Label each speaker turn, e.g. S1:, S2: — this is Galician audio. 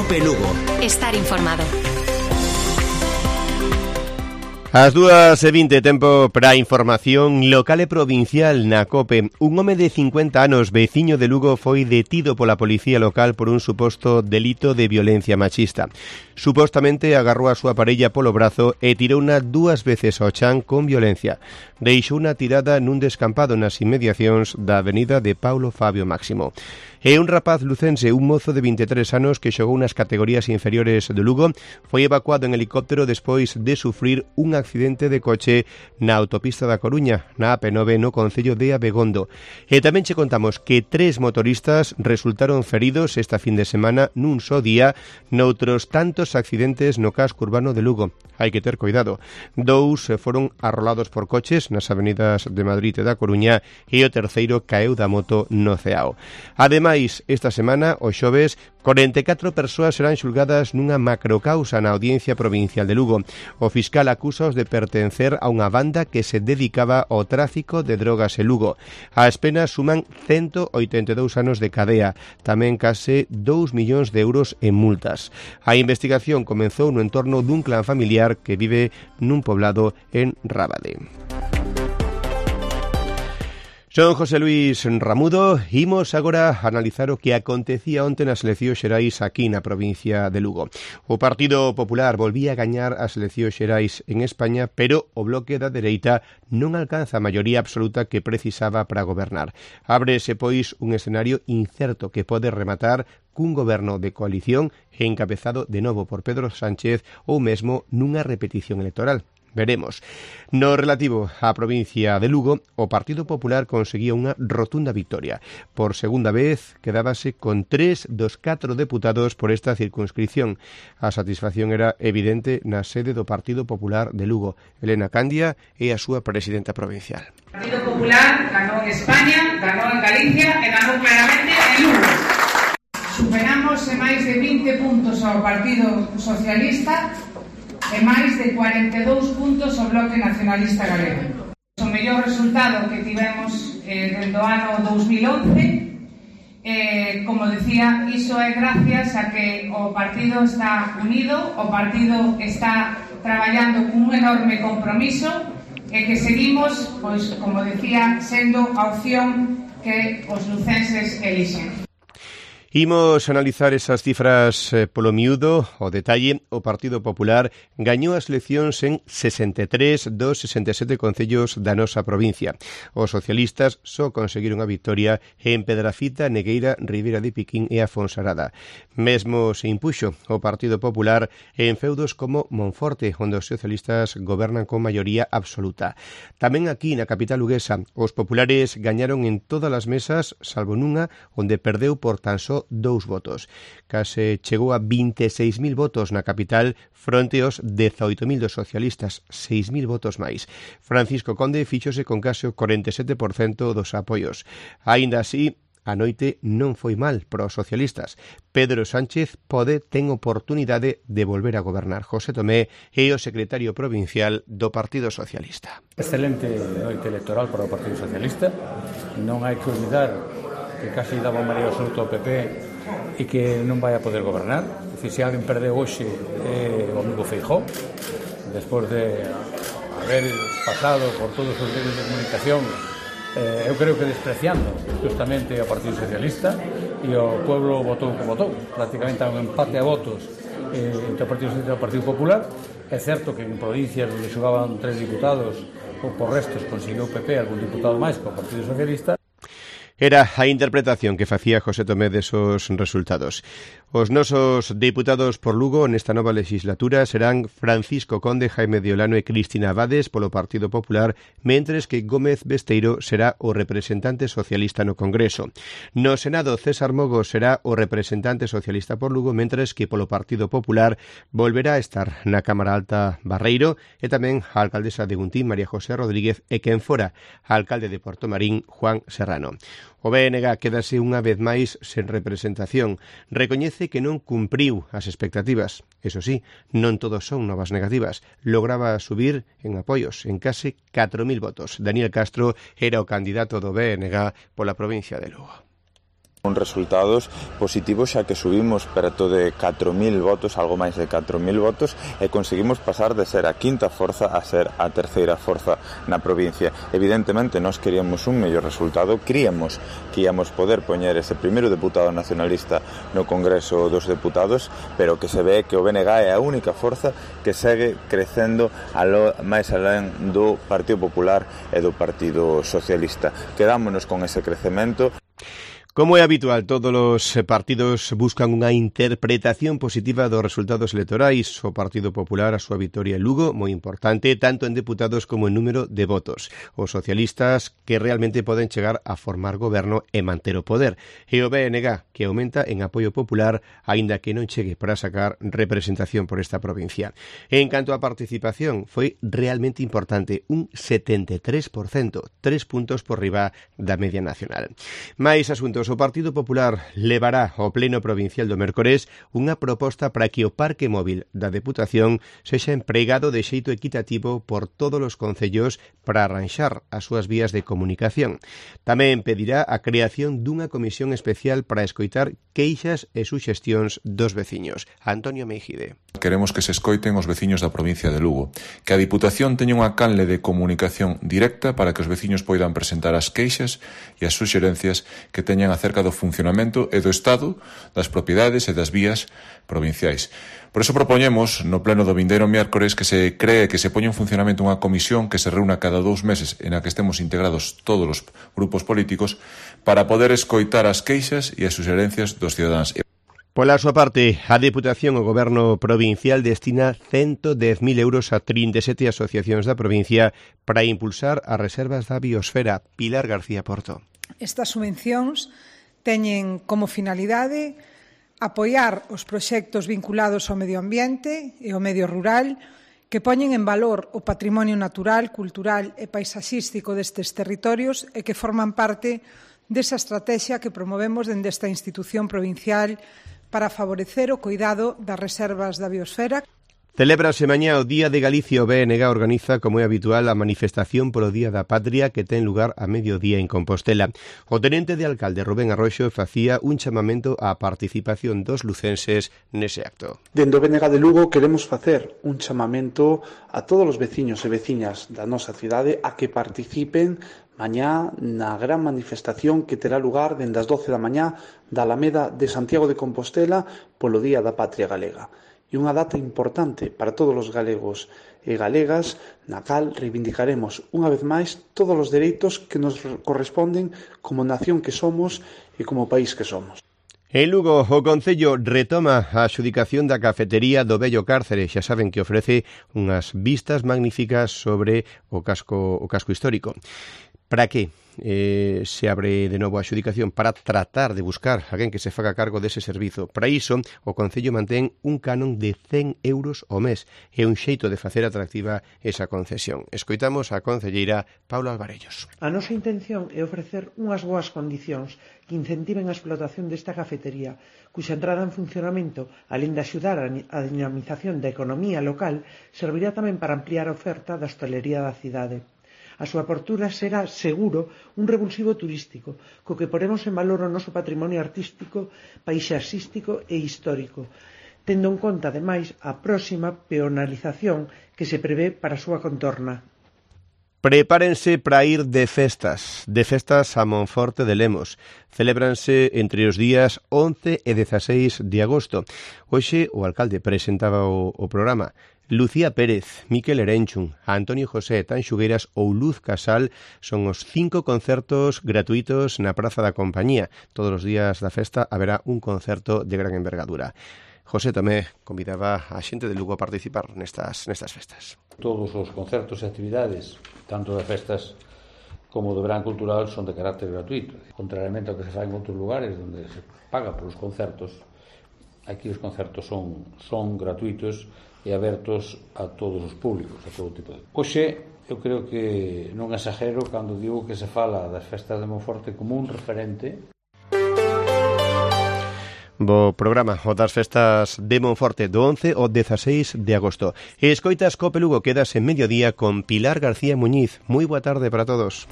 S1: COPE Lugo.
S2: Estar informado.
S3: As 2:20, tempo para a información local e provincial na COPE. Un home de 50 anos, veciño de Lugo, foi detido pola policía local por un suposto delito de violencia machista. Supostamente agarrou a súa parella polo brazo e tirouna 2 veces ao chan con violencia. Deixouna tirada nun descampado nas inmediacións da avenida de Paulo Fabio Máximo. E un rapaz lucense, un mozo de 23 anos que xogou nas categorías inferiores de Lugo, foi evacuado en helicóptero despois de sufrir un accidente de coche na autopista da Coruña, na AP9, no concello de Abegondo. E tamén che contamos que 3 motoristas resultaron feridos esta fin de semana nun só día noutros tantos accidentes no casco urbano de Lugo. Hai que ter cuidado. 2 foron arrolados por coches nas avenidas de Madrid e da Coruña e o terceiro caeu da moto no Ceao. Ademais, esta semana, o xoves, 44 persoas serán xulgadas nunha macrocausa na Audiencia Provincial de Lugo. O fiscal acúsaos de pertencer a unha banda que se dedicaba ao tráfico de drogas en Lugo. As penas suman 182 anos de cadea, tamén case 2 millóns de euros en multas. A investigación comezou no entorno dun clan familiar que vive nun poblado en Rábade. Son José Luis Ramudo. Imos agora a analizar o que acontecía onte nas eleccións xerais aquí na provincia de Lugo. O Partido Popular volvía a gañar as eleccións xerais en España, pero o bloque da dereita non alcanza a maioría absoluta que precisaba para gobernar. Ábrese, pois, un escenario incerto que pode rematar cun goberno de coalición encabezado de novo por Pedro Sánchez ou mesmo nunha repetición electoral. Veremos. No relativo á provincia de Lugo, o Partido Popular conseguía unha rotunda victoria. Por segunda vez, quedábase con 3 dos 4 deputados por esta circunscripción. A satisfacción era evidente na sede do Partido Popular de Lugo. Elena Candia é a súa presidenta provincial.
S4: O Partido Popular ganou en España, ganou en Galicia e ganou claramente en Lugo. Superamos en máis de 20 puntos ao Partido Socialista e máis de 42 puntos ao Bloque Nacionalista Galego. O mellor resultado que tivemos desde o ano 2011, como decía, iso é gracias a que o partido está unido, o partido está traballando con un enorme compromiso e que seguimos, pois, como decía, sendo a opción que os lucenses elixen.
S3: Imos analizar esas cifras polo miúdo, o detalle. O Partido Popular gañou as eleccións en 63 dos 67 concellos da nosa provincia. Os socialistas só conseguiron a victoria en Pedrafita, Negueira, Ribeira de Piquín e a Fonsarada. Mesmo se impuxo o Partido Popular en feudos como Monforte, onde os socialistas gobernan con maioría absoluta. Tamén aquí na capital luguesa, os populares gañaron en todas as mesas, salvo nunha, onde perdeu por tan só 2 votos. Case chegou a 26.000 votos na capital fronte aos 18.000 dos socialistas, 6.000 votos máis. Francisco Conde fíxose con case o 47% dos apoios. Aínda así, a noite non foi mal para os socialistas. Pedro Sánchez ten oportunidade de volver a gobernar. José Tomé é o secretario provincial do Partido Socialista.
S5: Excelente noite electoral para o Partido Socialista. Non hai que olvidar que casi daba maioría absoluta ao PP e que non vai a poder gobernar. Se alguén perdeu hoxe o amigo Feijóo, despois de haber pasado por todos os medios de comunicación, eu creo que despreciando justamente ao Partido Socialista, e o pueblo votou como votou, prácticamente a un empate a votos entre o Partido Socialista e o Partido Popular. É certo que en provincias onde xogaban 3 diputados, ou por restos conseguiu o PP algún diputado máis que o Partido Socialista.
S3: Era a interpretación que facía José Tomé desos resultados. Os nosos deputados por Lugo nesta nova legislatura serán Francisco Conde, Jaime de Olano e Cristina Abades polo Partido Popular, mentres que Gómez Besteiro será o representante socialista no Congreso. No Senado, César Mogo será o representante socialista por Lugo, mentres que polo Partido Popular volverá a estar na Cámara Alta Barreiro e tamén a alcaldesa de Guntín, María José Rodríguez, e quen fora a alcalde de Portomarín, Juan Serrano. O BNG quedase unha vez máis sen representación. Recoñece que non cumpriu as expectativas. Eso sí, non todos son novas negativas. Lograba subir en apoios en case 4.000 votos. Daniel Castro era o candidato do BNG pola provincia de Lugo.
S1: Resultados positivos, xa que subimos perto de 4.000 votos, algo máis de 4.000 votos, e conseguimos pasar de ser a quinta forza a ser a terceira forza na provincia. Evidentemente, nós queríamos un mellor resultado, queríamos que íamos poder poñer ese primeiro deputado nacionalista no Congreso dos Deputados, pero que se ve que o BNG é a única forza que segue crecendo máis alén do Partido Popular e do Partido Socialista. Quedámonos con ese crecemento.
S3: Como é habitual, todos os partidos buscan unha interpretación positiva dos resultados electorais. O Partido Popular a súa vitoria en Lugo, moi importante, tanto en deputados como en número de votos. Os socialistas que realmente poden chegar a formar goberno e manter o poder. E o BNG, que aumenta en apoio popular, aínda que non chegue para sacar representación por esta provincia. En canto á participación, foi realmente importante, un 73%, 3 puntos por riba da media nacional. Mais asuntos. O Partido Popular levará ao Pleno Provincial do Mércores unha proposta para que o parque móvil da Deputación sexa empregado de xeito equitativo por todos os concellos para arranxar as súas vías de comunicación. Tamén pedirá a creación dunha comisión especial para escoitar queixas e suxestións dos veciños. Antonio Meijide.
S2: Queremos que se escoiten os veciños da provincia de Lugo, que a Diputación teña unha canle de comunicación directa para que os veciños poidan presentar as queixas e as suxerencias que teñan acerca do funcionamento e do estado das propiedades e das vías provinciais. Por eso propoñemos no pleno do vindeiro miércoles que se cree que se poña en funcionamento unha comisión que se reúna cada 2 meses en a que estemos integrados todos os grupos políticos para poder escoitar as queixas e as suxerencias dos cidadáns.
S3: Pola súa parte, a Deputación o Goberno Provincial destina 110.000 euros a 37 asociacións da provincia para impulsar as reservas da biosfera. Pilar García Porto.
S6: Estas subvencións teñen como finalidade apoiar os proxectos vinculados ao medio ambiente e ao medio rural que poñen en valor o patrimonio natural, cultural e paisaxístico destes territorios e que forman parte desa estrategia que promovemos dende esta institución provincial para favorecer o cuidado das reservas da biosfera.
S3: Celébrase mañá o Día de Galicia. O BNG organiza, como é habitual, a manifestación polo Día da Patria que ten lugar a mediodía en Compostela. O tenente de alcalde Rubén Arroxo facía un chamamento á participación dos lucenses nese acto.
S7: Dende o BNG de Lugo queremos facer un chamamento a todos os veciños e veciñas da nosa cidade a que participen mañá na gran manifestación que terá lugar dende as 12 da mañá da Alameda de Santiago de Compostela polo Día da Patria Galega. E unha data importante para todos os galegos e galegas na cal reivindicaremos unha vez máis todos os dereitos que nos corresponden como nación que somos e como país que somos.
S3: En Lugo, o Concello retoma a adxudicación da cafetería do Vello Cárcere. Xa saben que ofrece unhas vistas magníficas sobre o casco histórico. Para que se abre de novo a adxudicación? Para tratar de buscar alguén que se faga cargo dese servizo. Para iso, o Concello mantén un canon de 100 euros ao mes. É un xeito de facer atractiva esa concesión. Escoitamos a concelleira Paula Alvarellos.
S8: A nosa intención é ofrecer unhas boas condicións que incentiven a explotación desta cafetería, cuxa entrada en funcionamento, alén de axudar a dinamización da economía local, servirá tamén para ampliar a oferta da hostalería da cidade. A súa apertura será, seguro, un revulsivo turístico, co que poremos en valor o noso patrimonio artístico, paisaxístico e histórico, tendo en conta, ademais, a próxima peonalización que se prevé para a súa contorna.
S3: Prepárense para ir de festas a Monforte de Lemos. Celébranse entre os días 11 e 16 de agosto. Hoxe o alcalde presentaba o programa. Lucía Pérez, Miquel Erenchun, Antonio José, Tanxugueiras ou Luz Casal son os 5 concertos gratuitos na Praza da Compañía. Todos os días da festa haberá un concerto de gran envergadura. José tamén convidaba a xente de Lugo a participar nestas festas.
S5: Todos os concertos e actividades, tanto de festas como do verán cultural, son de carácter gratuito. Contrariamente ao que se fai en outros lugares onde se paga polos concertos, aquí os concertos son gratuitos e abertos a todos os públicos, a todo tipo de... Hoxe, eu creo que non exagero cando digo que se fala das festas de Monforte como un referente.
S3: Bo programa, o das festas de Monforte do 11 ao 16 de agosto. E escoitas Cope Lugo, quedas en mediodía con Pilar García Muñiz. Moi boa tarde para todos.